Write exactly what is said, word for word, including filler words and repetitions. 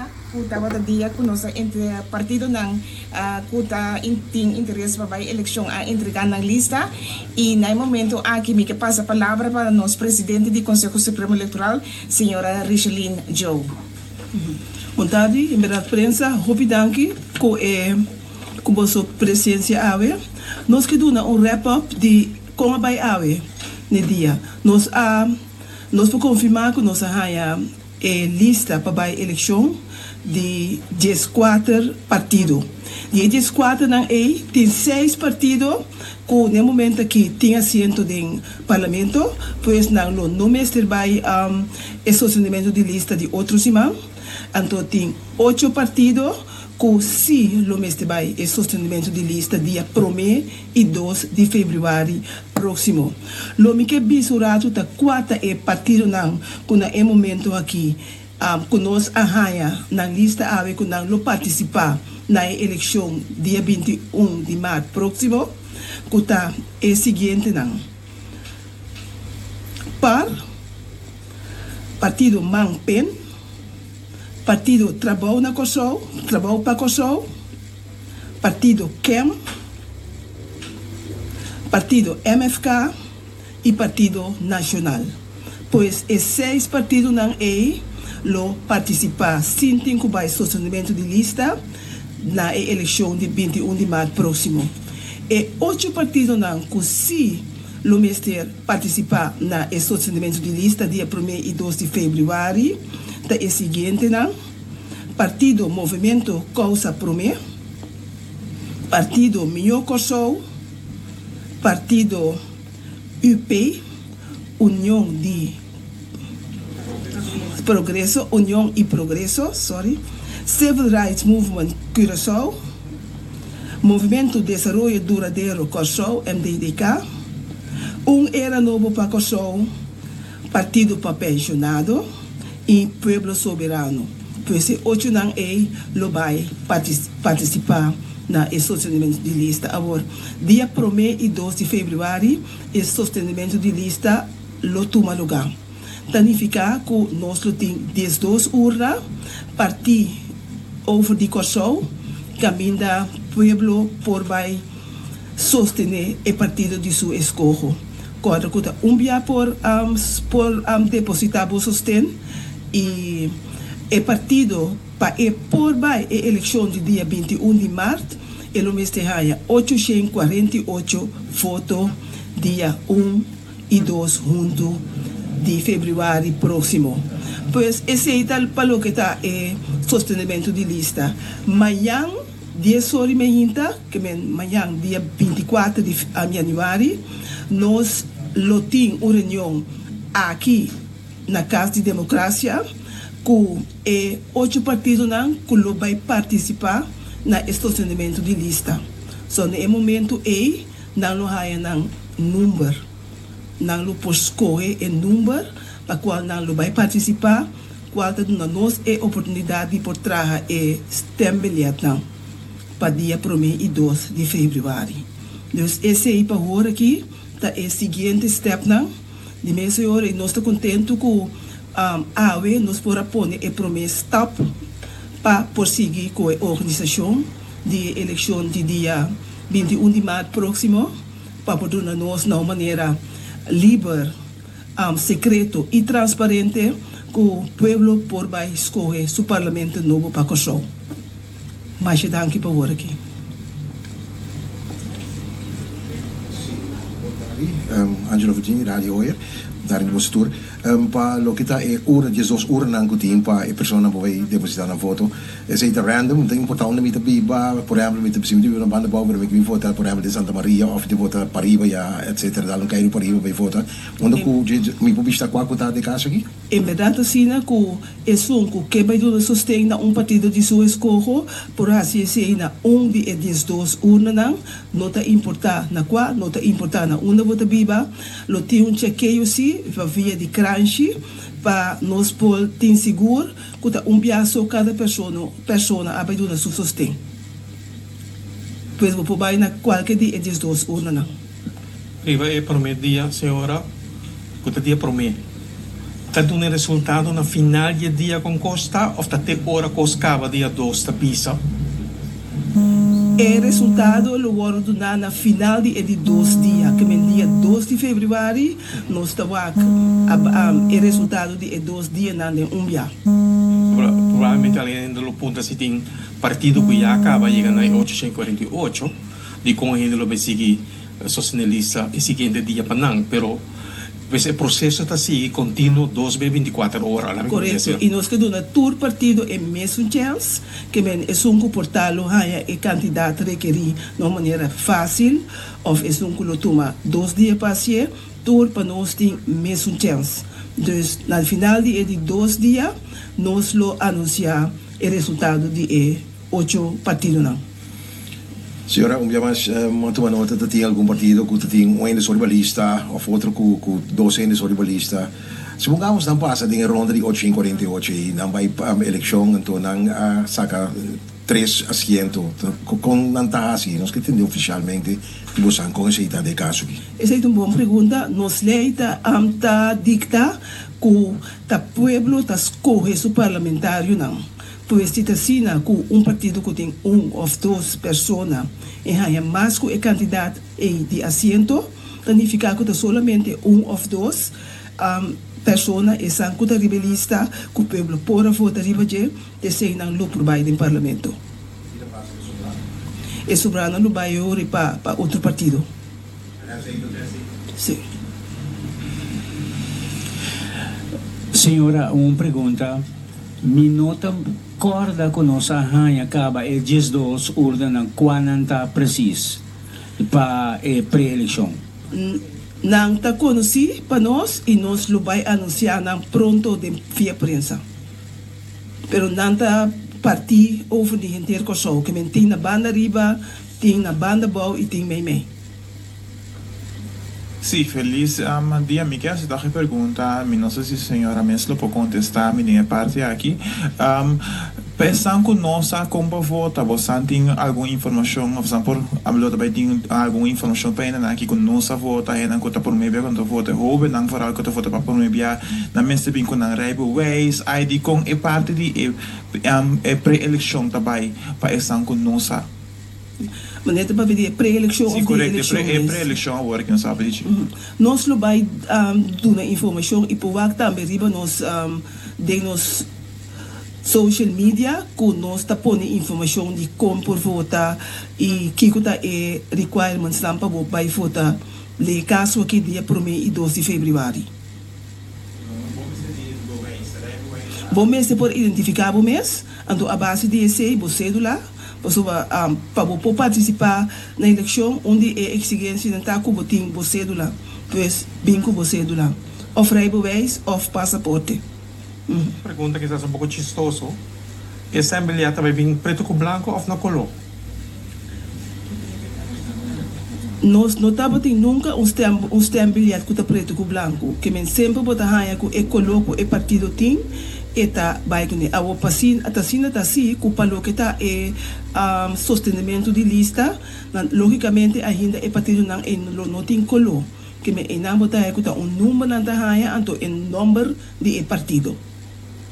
Dia ku tabata dia ku nos entre partidonan uh, ku ta in, tin interes pa bai elekshon a entregá nan lista i na e momento aki mi ke pasa palabra pa nos presidente di Konseho Supremo Elektoral, señora Richeline Joe. Bon tardi, en berdat prensa, hopi danki ku eh, ku boso presensia awe. Nos ke duna un wrap-up di kon a bai awe na dia. Nos a nos por konfirmá ku nos a haña e lista pa bai elekshon di dieskuater partido. Di dieskuater nan ei tin seis partido ku na e momento aki tin asiento den parlamento, pues nan lo no mester bai um, e sostenementu di lista di otro siman. Anto tin ocho partido ku si lo mester bai e sostenementu di lista dia promé i dos di febrüari próksimo. Lo mi ke bisa un ratu ta kua ta e partidonan ku na e momento aki um, ku nos a haña nan lista awe ku nan lo partisipá na elekshon dia binti un di mart próksimo, ku ta e siguientenan: P A R, Partido MAN P E N, Partido Trabou na Kòrsou, Trabou pa Kòrsou, Partido K E M, Partido M F K i Partido Nashonal. Pues e seis partidonan ei lo partisipá sin tin ku bai sostenementu di lista na elekshon di binti un di mart próksimo. E ocho partidonan ku si lo mester partisipá na sostenementu di lista dia promé i dos di febrüari ta e siguientenan: Partido Movementu Kousa Promé, Partido Mihó Kòrsou, Partido U P, Union di Progreso, Union i Progreso, sorry, Civil Rights Movement Curaçao, Movementu Desaroyo Duradero Kòrsou, M D D K, Un Era Nobo pa Kòrsou, Partido pa Penshonado i Pueblo Soberano. Pues e ochonan ei lo bai partisipá na e sostenementu di lista. Awor, dia promé i dos di febrüari, e sostenementu di lista lo tuma lugá. Ta nifiká ku nos lo tin diesdos urna partí over di Kòrsou, kaminda pueblo por bai sostené e partido di su eskoho. Kòrda ku ta un bia por um, por um, depositá bo sosten i e partido pa e por bai e elekshon di dia binti un di mart, e lo mester haña ocho kuarenta i ocho voto dia un i dos huntu di febrüari próksimo. Pues esei ta pa loke ta e sostenementu di lista. Mañan, dies or mainta, ke men mañan dia binti kuater di yanüari, nos lo tin un reunion aki na Kas di Demokrasia ku e ocho partidonan ku lo bai partisipá na sostenementu di lista. So, na e momento ei, nan lo haña nan number. Nan lo por skohe e number pa kual nan lo bai partisipá, kual ta duna nos e oportunidat di por traha e stembiljetnan pa dia promé i dos di febrüari. Dus esei pa awor aki ta e siguiente stepnan. Di mes ora, nos ta kontentu ku um, awe nos por a pone e promé stap pa por sigui ku e organisashon di elekshon di dia binti un di mart próksimo, pa por duna nos na un manera liber, um, sekreto i transparente ku pueblo por bai skohe su parlamento nobo pa Kòrsou. Masha danki pa awor aki. Um, Angelo Virginia, Radio Hoyer, daar in de Tour. Um, pa loke ta e urna, diesdos urnanan ku tin pa e persona por depositá nan voto. Esei ta random, no ta importá unda mi ta biba, por ehèmpel, mi ta si mi biba na Banda Bou, mi ke vota, por ehèmpel, di Santa Maria, òf di vota pariba ya, et cetera, dal un keiru pariba pa vota. Unda ku mi por bishitá kua ku ta e kaso aki? En berdat asina ku esun ku ke bai duna sosten na un partido di su eskoho por hasi esei na un di e diesdos urnanan, no ta importá na kua, no ta importá na unda bo ta biba. Lo tin un chekeo si pa via di kranshi pa nos por tin sigur ku ta un bia so kada persona persona a bai duna su sosten. Pues bo por bai na kualke di e diesdos urnanan. Riba e promé dia, señora, ku ta dia promé. Ta duna resultado na final di dia kon kos ta òf ta te ora kos kaba dia dos ta bisa? E resultado lo wòrdu duná na final di e di dos dia, ke men dia dos di febrüari, nos ta wak e resultado di e dos dianan den un bia. Probablemente algun hende lo puntra si tin partido ku ya kaba yega na e ocho kuarenta i ocho, dikon hende lo bai sigui sostené lista e siguiente dia pa nan, pero pues e proseso ta sigui kontinuo dos be binti kuater ora. Laga mi Korekto. I nos ke duna tur partido e mesun chèns, ke men esun ku por ta lo haña e kantidat rekerí na un manera fásil, òf esun ku lo tuma dos dia pa hasié, tur pa nos tin mesun chèns. Dus na final di e di dos dia, nos lo anunsiá e resultado di e ocho partidonan. Señora, un bia mas, mi a tuma nota ku tin algun partido ku tin un hende riba lista òf otro ku ku dos hende riba lista. Supongamos nan pasa den ronda di ocho kuarenta i ocho i nan bai pa elekshon, anto nan uh, saka tres asiento. Kon nan ta asina? Nos ke tende ofisialmente ku boso kon esei ta e kaso aki. Esei ta un bon pregunta. Nos lei ta, um, ta dikta ku ta pueblo ta skohe su parlamentarionan. Pues si ta asina ku un partido ku tin un òf dos persona i haña mas ku e kantidat di asiento, signifiká ku ta solamente un òf dos um, persona esnan ku ta riba lista ku pueblo por a vota riba dje, eseinan lo por bai den parlamento. E sobránan lo bai pa pa otro partido. Sí. Señora, un pregunta. Mi no ta kòrda ku nos a haña kaba e diesdos urna, kua nan ta presis pa eh, pre-elekshon? Nan ta konosí pa nos i nos lo bai anunsiá nan pronto den via prensa. Pero nan ta partí over di henter Kòrsou, ke men tin na banda riba, tin na banda bou i tin mei mei. Sí, felis um, dia. Mi ke hasi un pregunta. Mi no sa si señora mes lo por kontestá mi den e parti aki. Um, Pensando ku nos kon pa vota, bo tin algun informashon, òf por hablo tambe tin algun informashon pa hende aki ku no sa vota, hende ku ta promé bia ku ta vota, hóbennan vooral ku ta vota pa promé bia, nan mester bin ku nan rijbewijs, I D, kon e parti di e, um, e pre-elekshon tambe pa esnan ku no sa. Maar net pa di pre-elekshon Sí, òf di korekto, elekshon pre, mes. Pre-elekshon awor ku nos sa. Nos lo bai um, duna informashon i por tambe riba nos um, den nos social media ku nos ta pone informashon di kon por vota i kiko ta e requirements nan pa bo bai vota den kaso aki dia promé i dos di febrüari. Bo mester por identifiká bo mes, anto a base di esei, bo sédula, pasobra um, pa bo por partisipá na elekshon, un di e eksigensianan ta ku bo tin bo sédula, pues bin ku bo sédula, òf rijbewijs òf pasaporte. Pregunta kisas un poko chistoso. E stembiljet ta bin pretu ku blanku òf na koló? Nos no tabatin nunka un stem un stembiljet ku ta pretu ku blanku, ke men semper bo ta haña ku e koló ku e partido tin e ta bai kuné. Awo pasin atasina ta si ku pa loke ta e um, sostenimentu di lista, nan, lógikamente ainda e partidonan e lo no tin koló. Ke men einan bo ta haña ku ta un number nan ta haña, anto e nòmber di e partido.